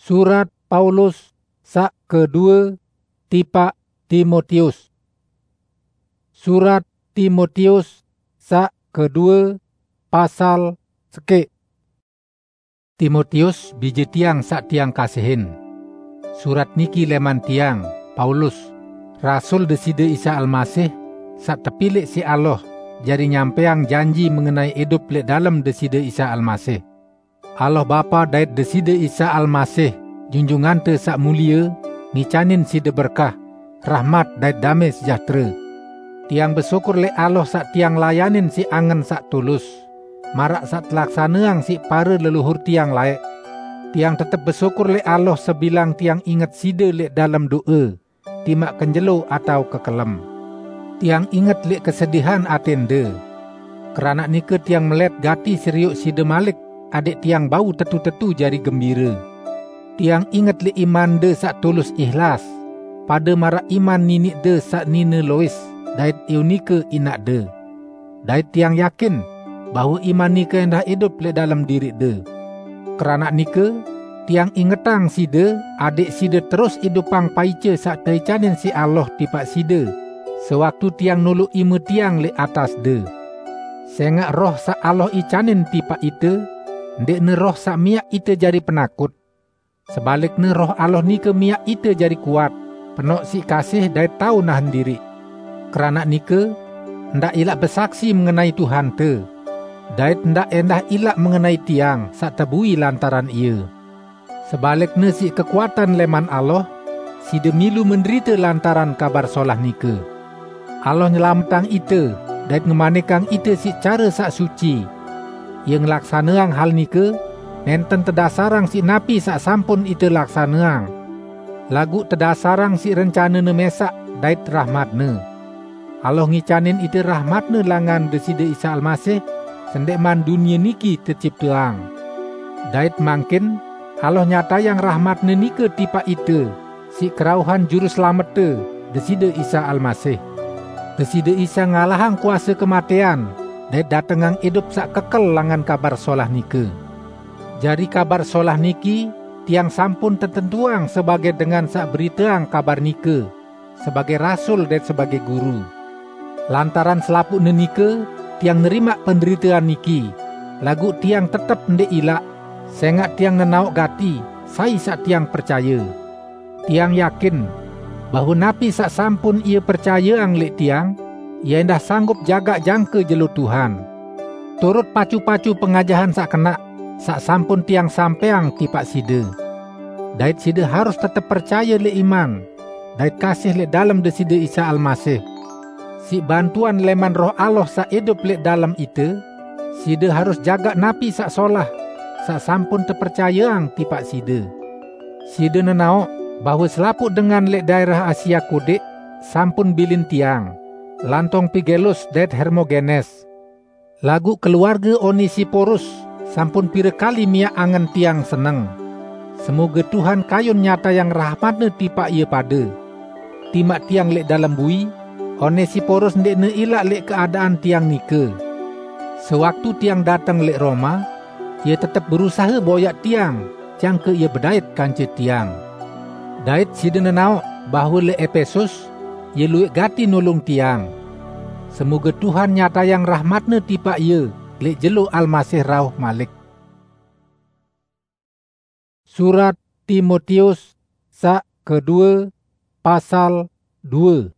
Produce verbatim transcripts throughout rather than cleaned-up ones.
Surat Paulus saq kedue tipaq Timotius. Surat Timotius saq kedue, pasal sekeq. Timotius, bije tiang saq tiang kasihin. Surat niki leman tiang, Paulus, rasul Deside Isa Almasih, saq tepilek siq Allah, jari nyampeang janji mengenai idup leq dalem Deside Isa Almasih. Allah Bapa dait Deside Isa Almasih, Junjungante Saq Mulie, ngicanin side berkah, rahmat dait dame sejahtere. Tiang besyukur leq Allah saq tiang layanin siq angen saq tulus, maraq saq telaksaneang siq pare leluhur tiang laeq. Tiang tetep besyukur leq Allah sebilang tiang inget side leq dalem do'e, timaq kenjelo atao kekelem. Tiang inget leq kesedihan atende. Keranaq nike tiang melet gati serioq side malik, adẽq tiang bau tetu-tetu jari gembire. Tiang inget leq imande saq tulus ihlas, pade maraq iman niniqde saq nine Lois dait Eunike inaqde. Dait tiang yakin bahwe iman nike endah idup leq dalem diriqde. Keranaq nike, tiang ingetang side, adẽq side terus idupang paice saq teicanin siq Allah tipaq side, sewaktu tiang noloq ime tiang leq atasde. Sengaq Roh saq Allah icanin tipaq ite, ndẽqne roh saq miaq ite jari penakut. Sebalikne, Roh Allah nike miaq ite jari kuat, penoq siq kasih dait tao nahen diriq. Keranaq nike, ndaq ilaq besaksi mengenai Tuhante, dait ndaq endah ilaq mengenai tiang saq tebui lantaran ie. Sebalikne, siq kekuatan leman Allah, side milu menderite lantaran Kabar Solah nike. Allah nyelametang ite dait ngemanikang ite siq care saq suci. Ie ngelaksaneang hal nike nenten tedasarang siq napi saq sampun ite laksaneang, laguq tedasarang siq rencanene mesaq dait rahmatne. Allah ngicanin ite rahmatne langan Deside Isa Almasih sendeqman dunie niki tecipteang. Dait mangkin Allah nyatayang rahmatne nike tipaq ite siq kerauhan Juru Selamette, Deside Isa Almasih. Deside Isa ngalahang kuase kematean dait datengang idup saq kekel langan Kabar Solah nike. Jari Kabar Solah niki tiang sampun tetentuang sebage dengan saq beriteang kabar nike, sebage rasul dait sebage guru. Lantaran selapuqne nike, tiang nerimaq penderitean niki, laguq tiang tetep ndeq ilaq, sengaq tiang nenaoq gati sai saq tiang percaye. Tiang yakin bahwe napi saq sampun ie percayeang leq tiang, ie endah sanggup jagaq jangke jelo Tuhan. Turut pacu-pacu pengajahan saq kenaq, saq sampun tiang sampeang tipaq side. Dait side harus tetep percaye leq iman, dait kasih leq dalem Deside Isa Almasih. Siq bantuan leman Roh Allah saq idup leq dalem ite, side harus jagaq napi saq solah, saq sampun tepercayeang tipaq side. Side nenaoq bahwe selapuq dengan leq daerah Asia Kodeq sampun bilin tiang, lantong Pigelus dait Hermogenes. Laguq keluarge Onesiporus sampun pire kali miaq angen tiang seneng. Semoge Tuhan kayun nyatayang rahmatne tipaq ie pade. Timaq tiang leq dalem bui, Onesiporus ndeqne ilaq leq keadaan tiang nike. Sewaktu tiang dateng leq Roma, ie tetep berusahe boyaq tiang, jangke ie bedait kance tiang. Dait side nenaoq bahwe leq Epesus, ie lueq gati nulung tiang. Semoge Tuhan nyatayang rahmatne tipaq ie leq jelo Almasih rauh malik. Surat Timotius saq kedue, pasal due.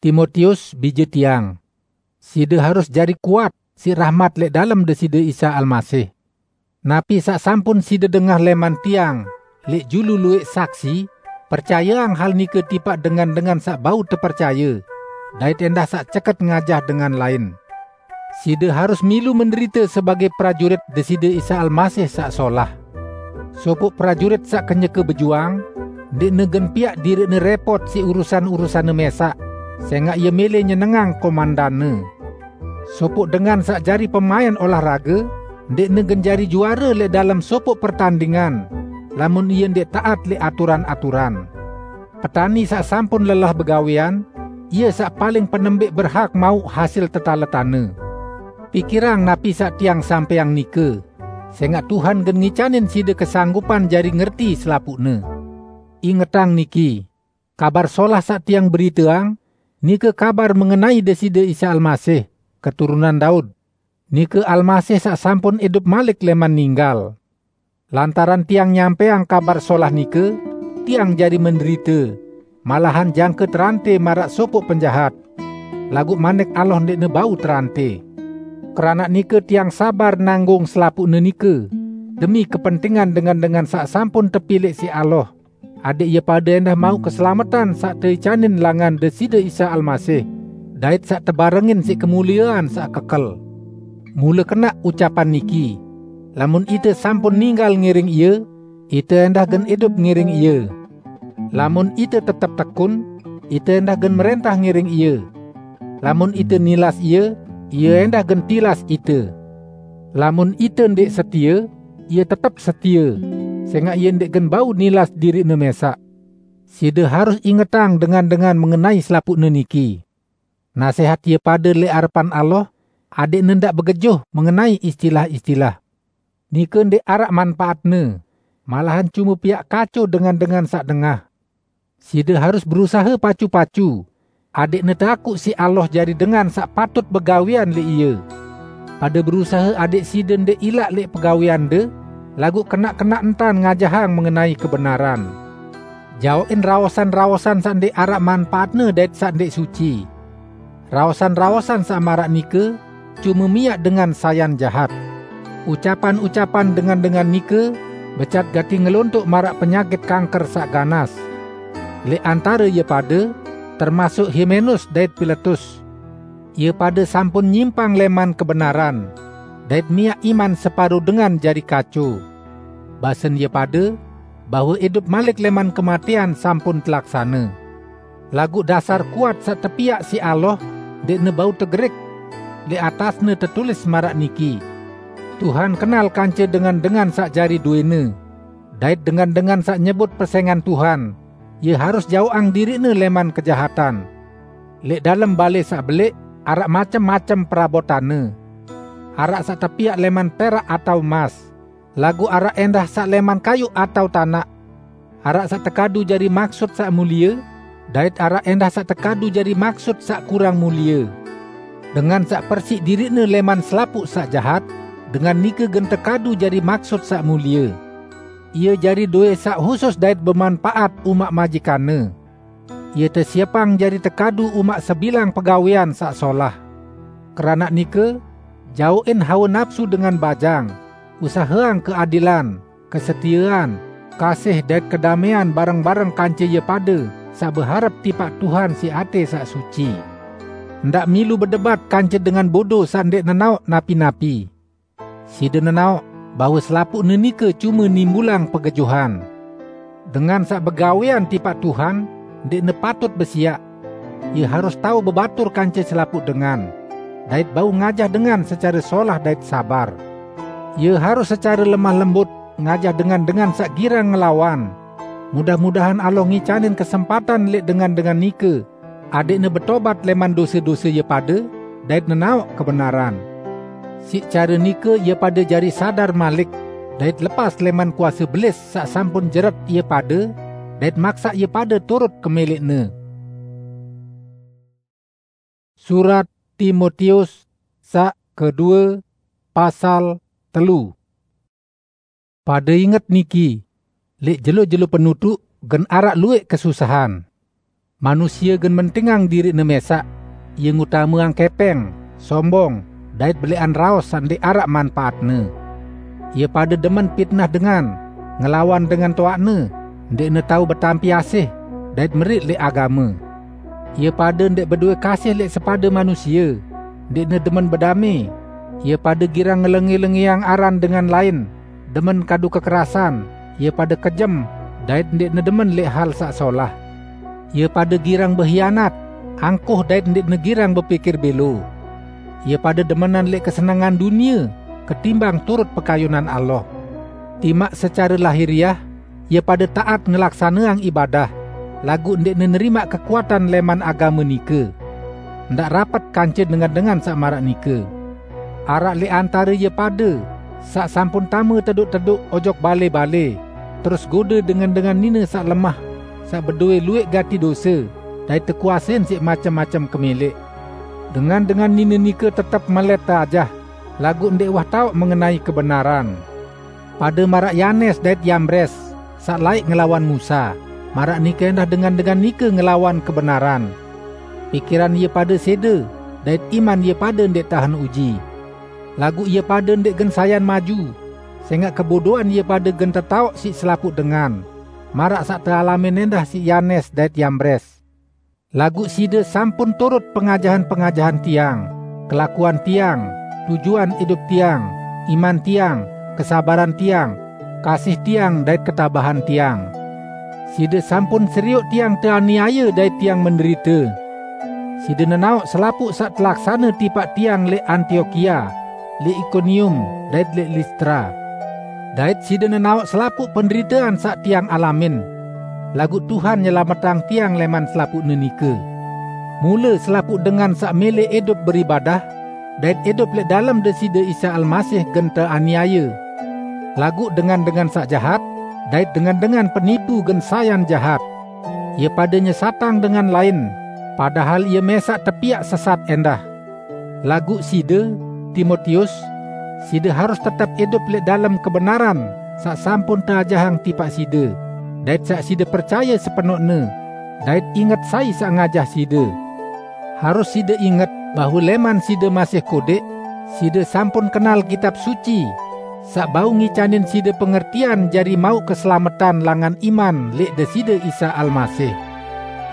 Timotius, bije tiang, side harus jari kuat siq rahmat leq dalem Deside Isa Almasih. Napi saq sampun side dengah leman tiang leq julu lueq saksi, percayeang hal nike tipaq dengan-dengan saq bau tepercaye, dait endah saq ceket ngajah dengan lain. Side harus milu menderite sebage prajurit Deside Isa Almasih saq solah. Sopoq prajurit saq kenyeke bejuang, ndeqne gen piaq diriqne repot siq urusan-urusanne mesaq, sengaq ie mele nyenengang komandanne. Sopoq dengan saq jari pemaen olahrage, ndeqne gen jari juare leq dalem sopoq pertandingan, lamun ie ndeq taat leq aturan-aturan. Petani saq sampun lelah begawean, ie saq paling penembik berhak mauq hasil tetaletanne. Pikirang napi saq tiang sampeang nike. sengaq Tuhan gen ngicanin side kesanggupan jari ngerti selapuqne. Ingetang niki, Kabar Solah saq tiang beriteang, nike kabar mengenai Deside Isa Almasih, keturunan Daud. Nike Almasih saq sampun idup malik leman ninggal. Lantaran tiang nyampeang Kabar Solah nike, tiang jari menderite, malahan jangke terante maraq sopoq penjahat. Laguq Manik Allah ndeqne bau terante. Keranaq nike tiang sabar nanggung selapuqne nike, demi kepentingan dengan-dengan saq sampun tepilih siq Allah, adẽq ie pade endah mauq keselametan saq teicanin langan Deside Isa Almasih, dait saq tebarengin siq kemuliean saq kekel. Mule kenaq ucapan niki, "Lamun ite sampun ninggal ngiring Ie, ite endah gen idup ngiring Ie. Lamun ite tetep tekun, ite endah gen merentah ngiring Ie. Lamun ite nilas Ie, Ie endah gen tilas ite. Lamun ite ndeq setie, Ie tetep setie, sengaq Ie ndeq gen bau nilas diriqne mesaq." Side harus ingetang dengan-dengan mengenai selapuqne niki. Nasehat ie pade leq arepan Allah, adẽqne ndaq begejoh mengenai istilah-istilah. Nike ndeq araq manpaatne, malahan cume piaq kaco dengan-dengan saq dengah. Side harus berusahe pacu-pacu, adẽqne teakuq siq Allah jari dengan saq patut begawean leq Ie. Pade berusahe adẽq side ndeq ilaq leq pegaweande, laguq kenaq-kenaq entan ngajahang mengenai kebenaran. Jaoqin raosan-raosan saq ndeq araq manpaatne dait saq ndeq suci. Raosan-raosan saq maraq nike cume miaq dengan sayan jahat. Ucapan-ucapan dengan-dengan nike becat gati ngelontoq maraq penyakit kanker saq ganas. Leq antare ie pade, termasuk Himenus dait Piletus, ie pade sampun nyimpang leman kebenaran, dait miaq iman separo dengan jari kaco. Basen ie pade, bahwe idup malik leman kematean sampun telaksane. Laguq dasar kuat saq tepiaq siq Allah ndeqne bau tegerik. Leq atasne tetulis maraq niki, "Tuhan kenal kance dengan-dengan saq jari duene, dait dengan-dengan saq nyebut pesengan Tuhan, ie harus jaoqang diriqne leman kejahatan." Leq dalem bale saq beleq araq macem-macem perabotanne. Araq saq tepiaq leman perak atao mas, laguq araq endah saq leman kayuq atao tanaq. Araq saq tekadu jari maksut saq mulie, dait araq endah saq tekadu jari maksut saq kurang mulie. Dengan saq persiq diriqne leman selapuq saq jahat, dengan nike gen tekadu jari maksut saq mulie. Ie jari dowẽ saq husus dait bemanpaat umaq majikanne. Ie tesiepang jari tekadu umaq sebilang pegawean saq solah. Keranaq nike, jaoqin hawe napsu dengan bajang, usaheang keadilan, kesetiean, kasih dait kedamẽan bareng-bareng kance ie pade saq beharep tipaq Tuhan siq atẽ saq suci. Ndaq milu bedebat kance dengan bodo saq ndeq nenaoq napi-napi. Side nenaoq bahwe selapuqne nike cume nimbulang pegejuhan. Dengan saq begawean tipaq Tuhan ndeqne patut besiaq. Ie harus tao bebatur kance selapuq dengan, dait bau ngajah dengan secare solah dait sabar. Ie harus secare lemah lembut ngajah dengan-dengan saq girang ngelawan. Mudah-mudahan Allah ngicanin kesempatan leq dengan-dengan nike, adẽqne betobat leman dose-dose ie pade dait nenaoq kebenaran. Siq care nike ie pade jari sadar malik dait lepas leman kuase Belis saq sampun jeret ie pade dait maksaq ie pade turut kemeleqne. Surat Timotius saq kedue, pasal telu. Pade inget niki, leq jelo-jelo penutuq gen araq lueq kesusahan. Manusie gen mentingang diriqne mesaq, ie ngutameang kepeng, sombong, dait beleqan raos saq ndeq araq manpaatne. Ie pade demen pitnah dengan, ngelawan dengan toaqne, ndeqne tao betampi asih, dait meriq leq agame. Ie pade ndeq bedowe kasih leq sepade manusie, ndeqne demen bedamẽ. Ie pade girang ngelenge-lengeang aran dengan lain, demen kadu kekerasan, ie pade kejem, dait ndeqne demen leq hal saq solah. Ie pade girang behianat, angkuh dait ndeqne girang bepikir belo. Ie pade demenan leq kesenengan dunie ketimbang turut pekayunan Allah. Timaq secare lahiriah, ie pade taat ngelaksaneang ibadah, laguq ndeqne nerimaq kekuatan leman agame nike. Ndaq rapet kance dengan-dengan saq maraq nike. Araq leq antare ie pade saq sampun tame teduk-teduk ojok bale-bale, terus gode dengan-dengan nine saq lemah, saq bedowe lueq gati dose, dait tekuasein siq macem-macem kemeleq. Dengan-dengan nine nike tetep melet teajah, laguq ndeq wah taoq mengenai kebenaran. Pade maraq Yanes dait Yambres, saq laeq ngelawan Musa, maraq nike endah dengan-dengan nike ngelawan kebenaran. Pikiran ie pade sede, dait iman ie pade ndeq tahen uji. Laguq ie pade ndeq gen sayan maju, sengaq kebodoan ie pade gen tetaoq siq selapuq dengan, maraq saq tealamin endah siq Yanes dait Yambres. Laguq side sampun turut pengajahan-pengajahan tiang, kelakuan tiang, tujuan idup tiang, iman tiang, kesabaran tiang, kasih tiang, dait ketabahan tiang. Side sampun serioq tiang teaniaye dait tiang menderite. Side nenaoq selapuq saq telaksane tipaq tiang leq Antiokia, leq Ikonium, dait leq Listra. Dait side nenaoq selapuq penderitean saq tiang alamin. Laguq Tuhan nyelametang tiang leman selapuqne nike. Mule selapuq dengan saq mele idup beribadah, dait idup leq dalem Deside Isa Almasih gen teaniaye. Laguq dengan-dengan saq jahat, dait dengan-dengan penipu gen sayan jahat. Ie pade nyesatang dengan lain, padahal ie mesaq tepiaq sesat endah. Laguq side, Timotius, side harus tetep idup leq dalem kebenaran saq sampun teajahang tipaq side, dait saq side percaye sepenoqne, dait inget sai saq ngajah side. Harus side inget bahwe leman side masih kodeq, side sampun kenal Kitab Suci, saq bau ngicanin side pengertian jari mauq keselametan langan iman leq Deside Isa Almasih.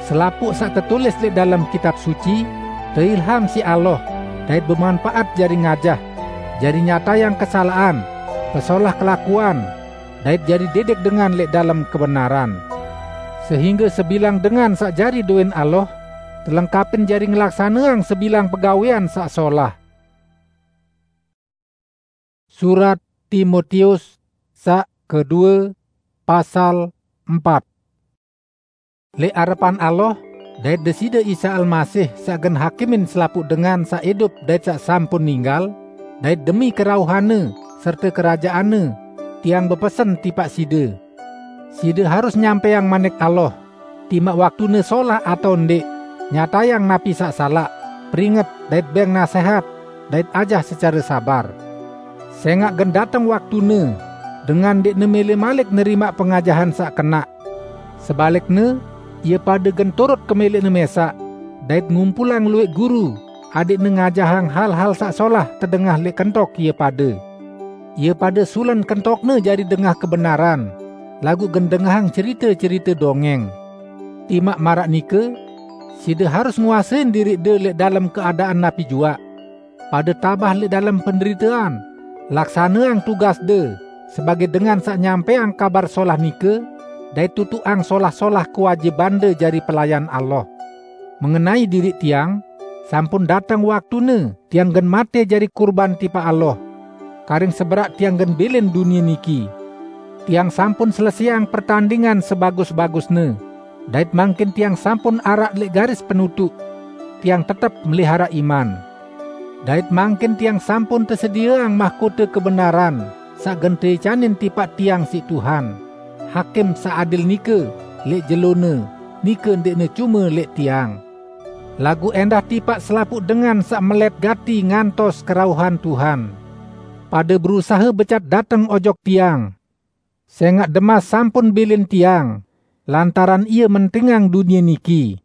Selapuq saq tetulis leq dalem Kitab Suci, teilham siq Allah, dait bemanpaat jari ngajah, jari nyatayang kesalaqan, pesolah kelakuan, dait jari didik dengan leq dalem kebenaran. Sehingge sebilang dengan saq jari dowin Allah, telengkapin jari ngelaksaneang sebilang pegawean saq solah. Surat Timotius saq kedue, pasal empat. Leq arepan Allah, dait Deside Isa Almasih saq gen hakimin selapuq dengan saq idup dait saq sampun ninggal, dait demi kerauhanne serte kerajaanne, tiang bepesen tipaq side. Side harus nyampeang manik Allah, timaq waktune solah atao ndeq, nyatayang napi saq salaq, peringet dait beng nasehat, dait ajah secare sabar. Sengaq gen dateng waktune, dengan ndeqne mele malik nerimaq pengajahan saq kenaq. Sebalikne, ie pade gen turut kemeleqne mesaq, dait ngumpulang lueq guru, adeqne ngajahang hal-hal saq solah tedengah leq kentok ie pade. Ie pade sulen kentokne jari dengah kebenaran, laguq gen dengahang cerite-cerite dongeng. Timaq maraq nike, side harus nguasein diriqde leq dalem keadaan napi juaq. Pade tabah leq dalem penderitean, laksaneang tugasde sebage dengan saq nyampeang Kabar Solah nike, dait tutuqang solah-solah kewajibande jari pelayan Allah. Mengenai diriq tiang, sampun dateng waktune tiang gen mate jari kurban tipaq Allah, karing seberaq tiang gen bilin dunie niki. Tiang sampun selesaiang pertandingan sebagus-bagusne, dait mangkin tiang sampun araq leq garis penutuq. Tiang tetep melihara iman. Dait mangkin tiang sampun tesedieang mahkote kebenaran saq gen teicanin tipaq tiang siq Tuhan, Hakim saq adil nike leq jelone, nike ndeqne cume leq tiang, laguq endah tipaq selapuq dengan saq melet gati ngantos kerauhan Tuhan. Pade berusahe becat dateng ojok tiang, sengaq Demas sampun bilin tiang, lantaran ie mentingang dunie niki.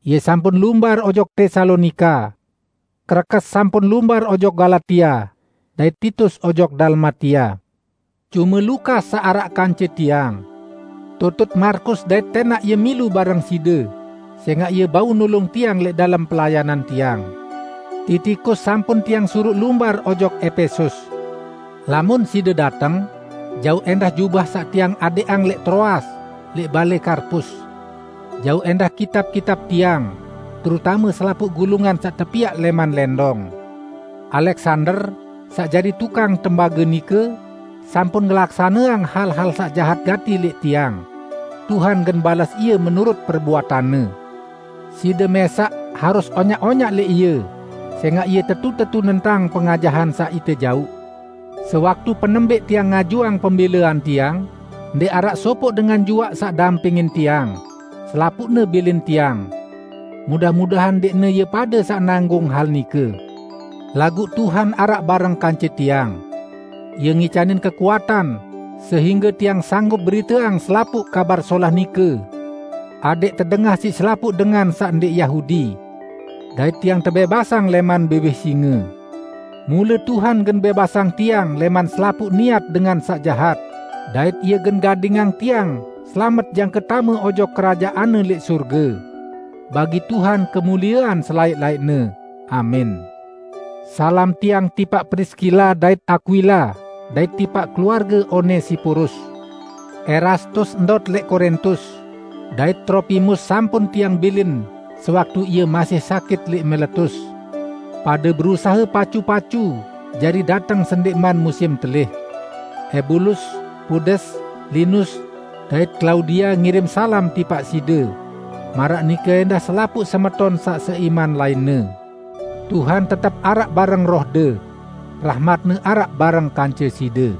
Ie sampun lumbar ojok Tesalonika. Krekes sampun lumbar ojok Galatia, dait Titus ojok Dalmatia. Cume Lukas saq araq kance tiang. Tutut Markus dait tenaq ie milu bareng side, sengaq ie bau nulung tiang leq dalem pelayanan tiang. Titikus sampun tiang suruq lumbar ojok Epesus. Lamun side dateng, jauq endah jubah saq tiang adeqang leq Troas, leq bale Karpus. Jauq endah kitab-kitab tiang, terutame selapuq gulungan saq tepiaq leman lendong. Aleksander, saq jari tukang tembage nike, sampun ngelaksaneang hal-hal saq jahat gati leq tiang. Tuhan gen bales ie menurut perbuatanne. Side mesaq harus onyak-onyak leq ie, sengaq ie tetu-tetu nentang pengajahan saq ite jauq. Sewaktu penembik tiang ngajuang pembelaan tiang, ndék araq sopoq dengan juaq saq dampingin tiang, selapuqne bilin tiang. Mudah-mudahan ndéqne ie pade saq nanggung hal nike. Laguq Tuhan araq bareng kance tiang. Ie ngicanin kekuatan, sehingge tiang sanggup beriteang selapuq Kabar Solah nike, adéq tedengah siq selapuq dengan saq ndéq Yahudi, dait tiang tebebasang lẽman biwih singe. Mule Tuhan gen bebasang tiang lẽman selapuq niat dengan saq jahat, dait Ie gen gadingang tiang selamet jangke tame ojok Kerajaanne lẽq sorge. Bagi Tuhan kemuliean selaẽq-laẽqne. Amin. Salam tiang tipaq Priskila dait Akwila, dait tipaq keluarge Onesiporus. Erastus ndot lẽq Korintus, dait Tropimus sampun tiang bilin sewaktu ie masih sakit lẽq Miletus. Pade berusahe pacu-pacu jari dateng sendẽqman musim telih. Ebulus, Pudes, Linus, dait Klaudia ngirim salam tipaq side, maraq nike ẽndah selapuq semeton saq seiman lainne. Tuhan tetep araq bareng rohde. Rahmat-Ne araq bareng kance side.